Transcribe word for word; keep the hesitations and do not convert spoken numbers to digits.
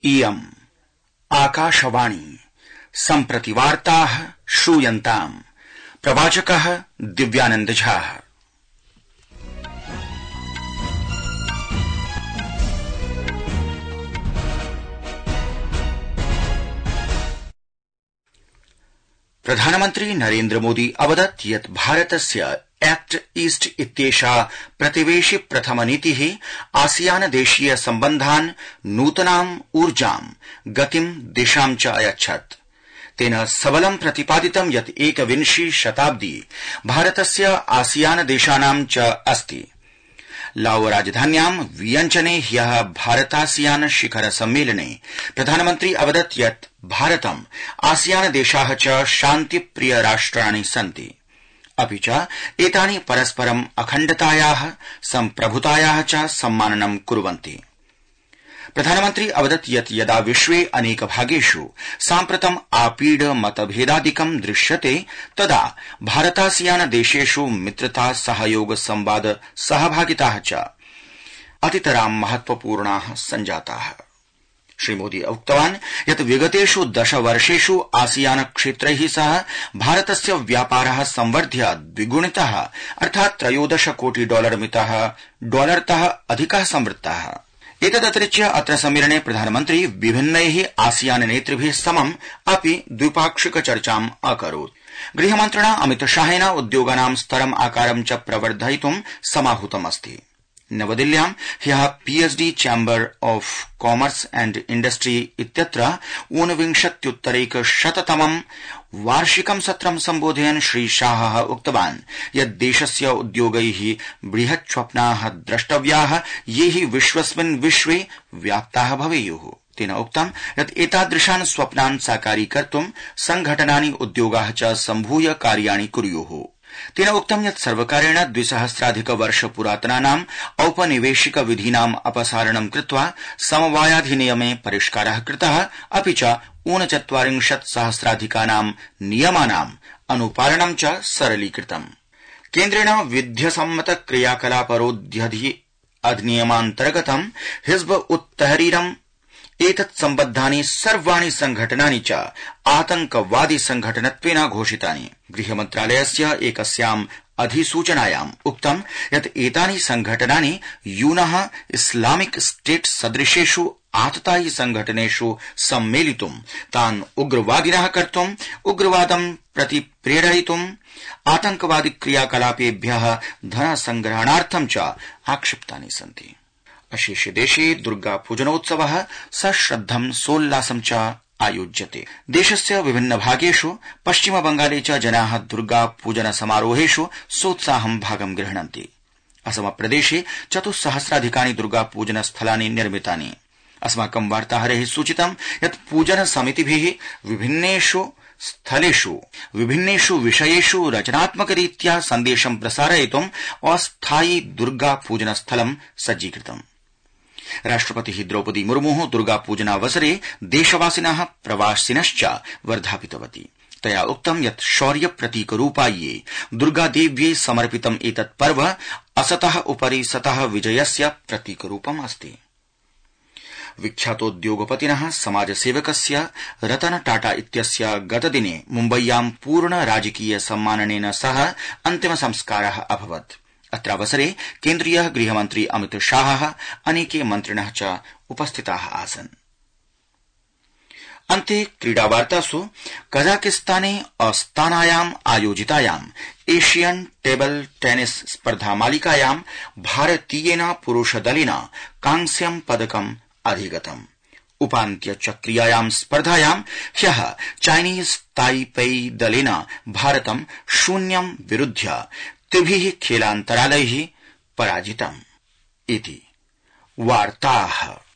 इयम् आकाशवाणी सम्प्रति वार्ताः श्रूयन्ताम्। प्रवाचकः दिव्यानंद झा। प्रधानमन्त्री नरेन्द्र मोदी अवदत् यत् भारतस्य एक्ट ईस्ट इत्येषा प्रतिवेशि प्रथम नीतिः आसियान देशीय सम्बन्धान् नूतनाम् ऊर्जाम् गतिम् दिशाम् च अयच्छत्। तेन सबलं प्रतिपादितं यत् एकविंशी शताब्दी भारतस्य आसियान देशानां च अस्ति। लाओ राजधान्यां वियंचने ह्यः भारतासियान शिखर सम्मेलने प्रधानमन्त्री अवदत् यत् भारतम् आसियान देशाः च शान्तिप्रिय राष्ट्राणि सन्ति, अपि च एतानि परस्परम् अखण्डतायाः सम्प्रभुतायाः च सम्माननं कुर्वन्ति। प्रधानमन्त्री अवदत् यत् यदा विश्वे अनेक भागेषु साम्प्रतम् आपीड मतभेदादिकं दृश्यते तदा भारतासियान देशेषु मित्रता सहयोग संवाद सहभागिताः च अतितरां महत्वपूर्णाः सञ्जाताः। श्रीमोदी उक्तवान् यत् विगतेषु दश वर्षेषु आसियान क्षेत्रैः सह भारतस्य व्यापारः संवर्ध्य द्विगुणितः अर्थात् त्रयोदश कोटि डॉलर मितः डॉलरतः अधिकः संवृत्तः। एतदतिरिच्य अत्र सम्मेलने प्रधानमन्त्री विभिन्नैः आसियान नेतृभिः समम् अपि द्विपाक्षिक चर्चाम् अकरोत्। गृहमन्त्रिणा अमित शाहेन उद्योगानां स्तरम् आकारं च प्रवर्धयितुं समाहूतमस्ति। नवदिल्ल्यां ह्यः PhD chamber of commerce and industry इत्यत्र ऊनविंशत्युत्तरैकशततमं वार्षिकं सत्रं सम्बोधयन् श्री शाहः उक्तवान् यत् देशस्य उद्योगैः बृहत् स्वप्नाः द्रष्टव्याः ये हि विश्वस्मिन् विश्वे व्याप्ताः भवेयुः। तेन उक्तं यत् एतादृशान् स्वप्नान् साकारीकर्तुं संघटनानि उद्योगाः च सम्भूय कार्याणि कुर्युः। तेन उक्तं यत् सर्वकारेण द्विसहस्राधिक वर्ष पुरातनानाम् औपनिवेशिक विधीनाम् अपसारणं कृत्वा समवायाधिनियमे परिष्कारः कृतः, अपि च ऊनचत्वारिंशत् सहस्राधिकानां नियमानाम् अनुपालनं च सरलीकृतम्। केन्द्रेण विध्यसम्मत क्रियाकलापरोध्यधि अधिनियमान्तर्गतं हिज्ब उत तहरीरम् एतत् सम्बद्धानि सर्वाणि संघटनानि च आतंकवादि संघटनत्वेन घोषितानि। गृहमन्त्रालयस्य एकस्याम् अधिसूचनायाम् उक्तं यत् एतानि संघटनानि यूनः इस्लामिक स्टेट सदृशेषु आततायि संघटनेषु सम्मेलितुं तान् उग्रवादिनः कर्तुं उग्रवादं प्रति प्रेरयितुं आतंकवादि क्रियाकलापेभ्यः धनसंग्रहणार्थं च आक्षिप्तानि सन्ति। अशेषे देशे दुर्गापूजनोत्सवः सश्रद्धं सोल्लासं च आयोज्यते। देशस्य विभिन्न भागेषु पश्चिमबंगाले च जनाः दुर्गापूजन समारोहेषु सोत्साहं भागं गृह्णन्ति। असमप्रदेशे चतुस्सहस्राधिकानि दुर्गापूजन स्थलानि निर्मितानि। अस्माकं वार्ताहरैः सूचितं यत् पूजन समितिभिः विभिन्नेषु स्थलेषु विभिन्नेषु विषयेषु रचनात्मकरीत्या सन्देशं प्रसारयितुम् अस्थायि दुर्गापूजन स्थलं सज्जीकृतम्। राष्ट्रपतिः द्रौपदी मुर्मुः दुर्गापूजनावसरे देशवासिनः प्रवासिनश्च वर्धापितवती। तया उक्तं यत् शौर्य प्रतीकरूपायै दुर्गादेव्यै समर्पितम् एतत् पर्व असतः उपरि सतः विजयस्य प्रतीकरूपम् अस्ति। विख्यातोद्योगपतिनः समाजसेवकस्य रतन टाटा इत्यस्य गतदिने मुम्बय्यां पूर्ण राजकीय सम्माननेन सह अन्तिम संस्कारः अभवत्। अत्रावसरे केन्द्रीयः गृहमन्त्री अमित शाहः अनेके मन्त्रिणः च उपस्थिताः आसन्। अन्ते क्रीडावार्तासु कजाकिस्ताने अस्तानायाम् आयोजितायाम् एशियन टेबल टेनिस स्पर्धामालिकायां भारतीयेन पुरुषदलेन कांस्यं पदकम् अधिगतम्। उपान्त्यचक्रीयायां स्पर्धायां ह्यः चाइनीज ताइपेई दलेन भारतं शून्यं विरुध्य त्रिभिः खेलान्तरालैः पराजितम्। इति वार्ताः।